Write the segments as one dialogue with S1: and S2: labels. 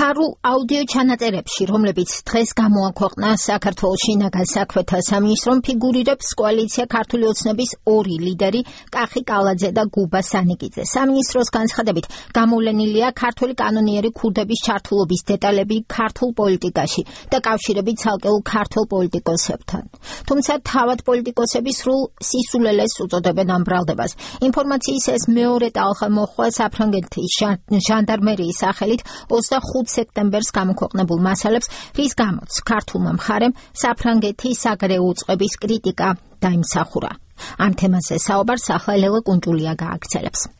S1: ფარულ აუდიო ჩანაწერებში, რომლებიც დღეს გამოაქვეყნა საქართველოს შინაგან საქმეთა სამინისტრომ, ფიგურირებს კოალიცია ქართული ოცნების ორი ლიდერი კახი კალაძე და გუბა სანიკიძე. სამინისტროს განცხადებით, გამოვლენილია ქართული კანონიერი ქურდების ჩართულობის დეტალები ქართულ პოლიტიკაში და კავშირები ცალკეულ ქართულ პოლიტიკოსებთან. თუმცა თავად პოლიტიკოსები სრულ სისულელეს უწოდებენ ამ ბრალდებას. ინფორმაციის ეს მეორე ტალღა მოჰყვა საფრანგეთის ჟანდარმერიის სახელით 25 სექტემბერს გამოქვეყნებულ მასალებს, რის გამოც ქართულმა მხარემ საფრანგეთის საგარეო უწყების კრიტიკა დაიმსახურა. ამ თემაზე საუბარს ახლა ლელა კუნჭულია გააგრძელებს.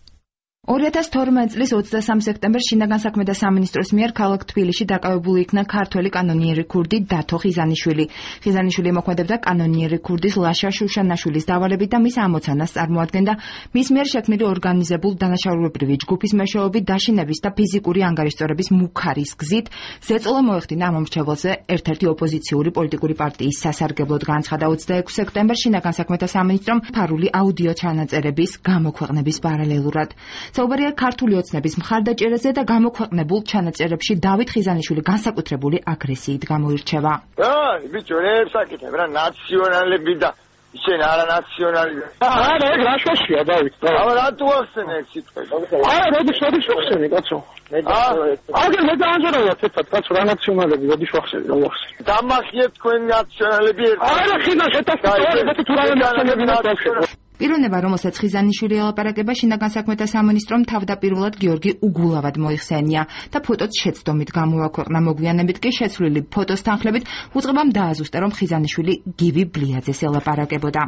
S2: 2012 წლის 23 სექტემბერს შინაგან საქმეთა სამინისტროს მიერ ქალაქ თბილისში დაკავებული იქნა ქართველი კანონიერი ქურდი დათო ხიზანიშვილი. ხიზანიშვილი მოქმედებდა კანონიერი ქურდის ლაშა შუშანაშვილის დავალებით და მის ამოცანას წარმოადგენდა მის მიერ შექმნილი ორგანიზებულ დანაშაულებრივი ჯგუფის მეშვეობით დაშინების და ფიზიკური ანგარიშწორების მუქარის გზით ზეწოლა მოეხდინა ამ მომრჩეველზე ერთ-ერთი ოპოზიციური პოლიტიკური პარტიის სასარგებლოდ. განცხადა 26 სექტემბერს შინაგან საქმეთა სამინისტრომ ფარული აუდიო ჩანაწერების გამოქვეყნების პარალელურად. საუბარია ქართული ოცნების მხარდაჭერაზე და გამოქვეყნებულ ჩანაწერებში დავით ხიზანიშვილი განსაკუთრებული აგრესიით გამოირჩევა.
S3: ბიჭო, ებსაკეთებ რა ნაციონალები და ისენ არანაციონალი.
S4: არა, ეგ რა შოშია დავით.
S3: აბა რატო ახსენე ეს სიტყვა?
S4: არა, როდის ვახსენე, კაცო. აგერ მე დაანჯერებია თეთრად, კაცო, რა ნაციონალები, როდის ვახსენე, რა ვახსენე.
S3: დამახიეთ თქვენ ნაციონალები ერთად.
S4: არა, ხინა შეტასწორებით თუ რა ნაციონალები ნაციონალები.
S2: პიროვნება, რომელსაც ხიზანიშვილი ელაპარაკება, შინაგან საქმეთა სამინისტრომ თავდაპირველად გიორგი უგულავად მოიხსენია და ფოტოც შეცდომით გამოაქვეყნა. მოგვიანებით კი შეცვლილი ფოტოს თანხლებით უწყებამ დააზუსტა, რომ ხიზანიშვილი გივი ბლიაძეს ელაპარაკებოდა.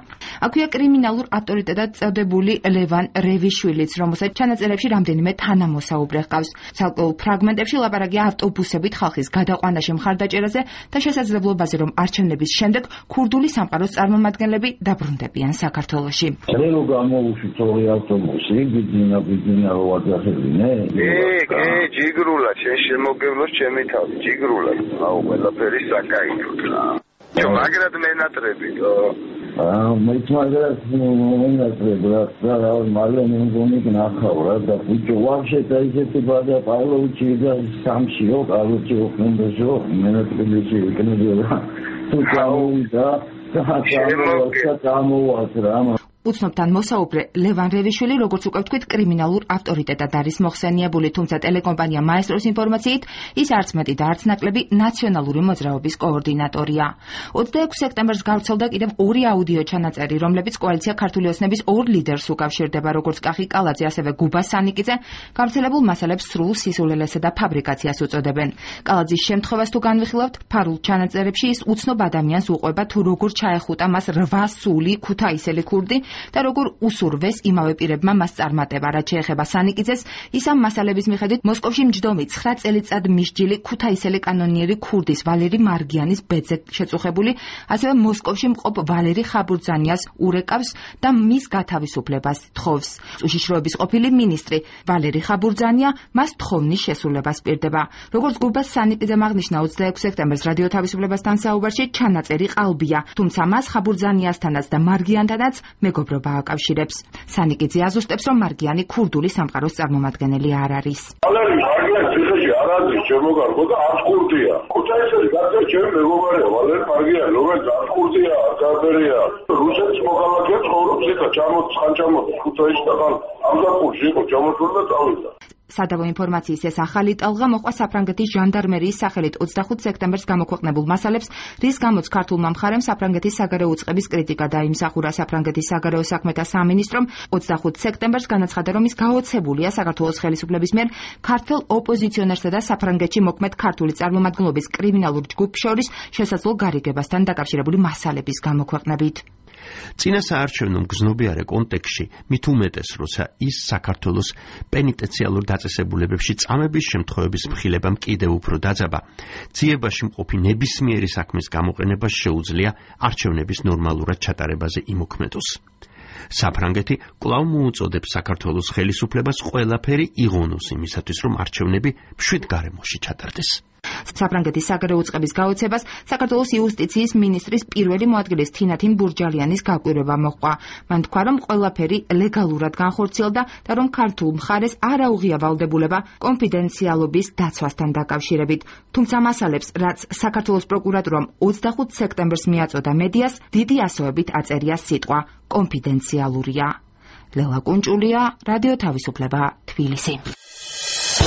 S2: აქვეა კრიმინალურ ავტორიტეტად წოდებული ლევან რევიშვილიც, რომელსაც ჩანაწერებში რამდენიმე თანამოსაუბრე ჰყავს. ცალკეულ ფრაგმენტებში ლაპარაკია ავტობუსებით ხალხის გადაყვანაში მხარდაჭერაზე და შესაძლებლობაზე, რომ არჩევნების შემდეგ ქურდული სამყაროს წარმომადგენლები დაბრუნდებიან საქართველოში.
S5: რელო გამოუშვით ორი ავტობუსი, ბიძინა ვაძახებინე?
S3: ჯიგრულა, შენ შემოგევლოს ჩემი თავი, ჯიგრულა. აუ, ყველაფერი საკაითოდ რა. მაგრამ მენატრებიდო.
S5: მეც მაგას მომენატრებ რა, მალე მეგონი ნახავ რა და ბიჭო ვაფშე დაიჭერე ბადა პავლოვიჩი და სამშიო, პავლოვიჩი ოხნდაშო, მენატრებიში იქნება. თუ გამოვიდა და
S2: უცნობთან მოსაუბრე ლევან რევიშვილი, როგორც უკვე ვთქვით, კრიმინალურ ავტორიტეტად არის მოხსენიებული, თუმცა ტელეკომპანია მაესტროს ინფორმაციით ის არც მეტი და არც ნაკლები ნაციონალური მოძრაობის კოორდინატორია. 26 სექტემბერს გავრცელდა კიდევ ორი აუდიო ჩანაწერი, რომლებიც კოალიცია ქართული ოცნების ორ ლიდერს უკავშირდება, როგორც კახი კალაძე, ასევე გუბა სანიკიძე. გავრცელებულ მასალებს სრულ სისულელესა და ფაბრიკაციას უწოდებენ. კალაძის შემთხვევას თუ განვიხილავთ, ფარულ ჩანაწერებში ის უცნობ ადამიანს უყვება, თუ როგორ ჩაეხუტა მას 8 სული ქუთაისელი ქურდი და როგორ უსურვეს იმავე პირებმა მას წარმატება. რაც შეეხება სანიკიძეს, ის ამ მასალების მიხედვით მოსკოვში მჯდომი 9 წელიწად მისჯილი ქუთაისელი კანონიერი ქურდის ვალერი მარგიანის ბედზე შეწუხებული, ასევე მოსკოვში მყოფ ვალერი ხაბურძანიას ურეკავს და მის გათავისუფლებას თხოვს. უშიშროების ყოფილი მინისტრი ვალერი ხაბურძანია მას თხოვნის შესრულებას პირდება. როგორც გუბა სანიკიძემ აღნიშნა 26 სექტემბერს რადიო თავისუფლებასთან საუბარში, ჩანაწერი ყალბია, თუმცა მას ხაბურძანიასთანაც და მარგიანთანაც მეგობრობა აკავშირებს. სანიკიძე აზუსტებს, რომ მარგიანი ქურდული სამყაროს წარმომადგენელი არ არის.
S6: მარგიანი ციხეში არ არის შემოგარგო და არც ქურდია. ქუთაისელი გახდა ჩემი მეგობარია ვალერი მარგიანი, რომელიც არც ქურდია, არც არბერია. რუსეთის მოქალაქე ცხოვრობს იქა, ჩამოწ ქუთაისში და ამ დაკურში იყო ჩამოწვა და წავიდა.
S2: სადავო ინფორმაციის ეს ახალი ტალღა მოჰყვა საფრანგეთის ჟანდარმერიის სახელით 25 სექტემბერს გამოქვეყნებულ მასალებს, რის გამოც ქართულმა მხარემ საფრანგეთის საგარეო უწყების კრიტიკა დაიმსახურა. საფრანგეთის საგარეო საქმეთა სამინისტრომ 25 სექტემბერს განაცხადა, რომ ის გაოცებულია საქართველოს ხელისუფლების მიერ ქართულ ოპოზიციონერსა და საფრანგეთში მოქმედ ქართული წარმომადგენლობის კრიმინალურ ჯგუფს შორის შესაძლო გარიგებასთან დაკავშირებული მასალების გამოქვეყნებით.
S7: წინა საარჩევნო მგზნობიარე კონტექსტში მით უმეტეს, როცა ის საქართველოს პენიტენციალურ დაწესებულებებში წამების შემთხვევების მხილებამ კიდევ უფრო დაძაბა, ძიებაში მყოფი ნებისმიერი საქმის გამოყენება შეუძლია არჩევნების ნორმალურად ჩატარებაზე იმოქმედოს. საფრანგეთი კვლავ მოუწოდებს საქართველოს ხელისუფლებას ყველაფერი იღონოს იმისათვის, რომ არჩევნები მშვიდ გარემოში ჩატარდეს.
S2: საფრანგეთის საგარეო უწყების გაოცებას საქართველოს იუსტიციის მინისტრის პირველი მოადგილის თინათინ ბურჯალიანის გაკვირვება მოჰყვა. მან თქვა, რომ ყველაფერი ლეგალურად განხორციელდა და რომ ქართულ მხარეს არ აუღია ვალდებულება კონფიდენციალობის დაცვასთან დაკავშირებით. თუმცა მასალებს, რაც საქართველოს პროკურატურამ 25 სექტემბერს მიაწოდა მედიას, დიდი ასოებით აწერია სიტყვა კონფიდენციალურია. ლელა კუნჭულია, რადიო თავისუფლება, თბილისი.